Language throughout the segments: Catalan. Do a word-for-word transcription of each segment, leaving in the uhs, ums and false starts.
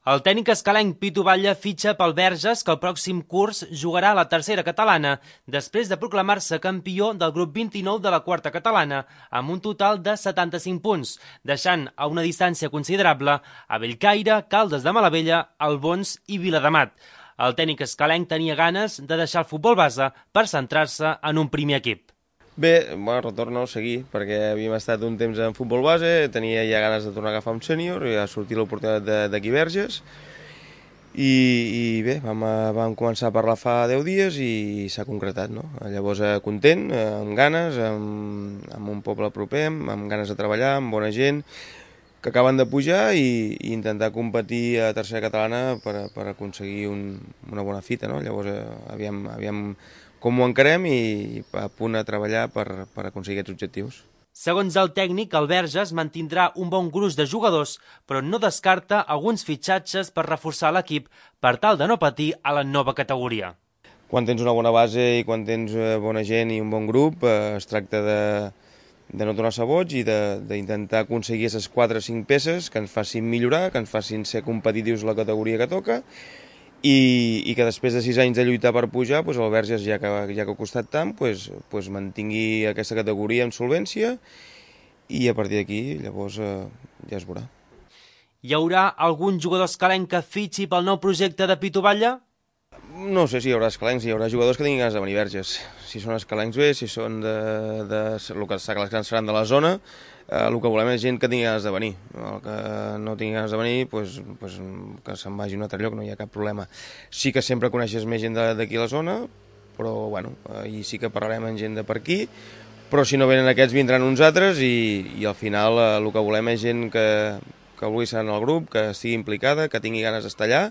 El tècnic escalenc Pitu Batlle fitxa pel Verges, que el pròxim curs jugarà a la tercera catalana, després de proclamar-se campió del grup vint-i-nou de la quarta catalana, amb un total de setanta-cinc punts, deixant a una distància considerable a Bellcaire, Caldes de Malavella, Albons i Viladamat. El tècnic escalenc tenia ganes de deixar el futbol base per centrar-se en un primer equip. Bé, bueno, retorno a seguir, perquè havíem estat un temps en futbol base, tenia ja ganes de tornar a agafar un sènior, i ha sortit l'oportunitat d'aquí Verges, i, i bé, vam, vam començar a parlar fa deu dies i s'ha concretat, no? Llavors, content, amb ganes, amb, amb un poble proper, amb ganes de treballar, amb bona gent, que acaben de pujar i, i intentar competir a tercera catalana per, per aconseguir un, una bona fita, no? Llavors, aviam, aviam com ho encarem i a punt a treballar per, per aconseguir aquests objectius. Segons el tècnic, el Verges mantindrà un bon gruix de jugadors, però no descarta alguns fitxatges per reforçar l'equip per tal de no patir a la nova categoria. Quan tens una bona base i quan tens bona gent i un bon grup, eh, es tracta de, de no tornar-se boig i d'intentar aconseguir aquestes quatre o cinc peces que ens facin millorar, que ens facin ser competitius la categoria que toca, I, i que després de sis anys de lluitar per pujar, doncs el Verges, ja que, ja que ha costat tant, doncs, doncs mantingui aquesta categoria amb solvència i a partir d'aquí llavors eh, ja es veurà. Hi haurà algun jugador escalenc que fitxi pel nou projecte de Pitu Batlle? No sé si hi haurà escalencs, hi haurà jugadors que tinguin ganes de venir Verges. Si són escalencs bé, si són de, de, el que seran de la zona, eh, el que volem és gent que tingui ganes de venir. El que no tingui ganes de venir, pues, pues, que se'n vagi a un altre lloc, no hi ha cap problema. Sí que sempre coneixes més gent d'aquí a la zona, però bueno, ahir sí que parlarem amb gent de per aquí, però si no venen aquests vindran uns altres i, i al final eh, el que volem és gent que, que vulgui ser en el grup, que estigui implicada, que tingui ganes d'estar allà,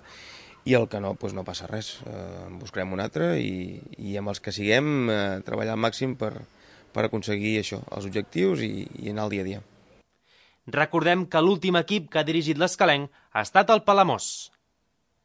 i el que no, doncs no passa res, eh, en buscarem un altre i, i amb els que siguem eh, treballar al màxim per, per aconseguir això, els objectius i, i anar al dia a dia. Recordem que l'últim equip que ha dirigit l'escalenc ha estat el Palamós.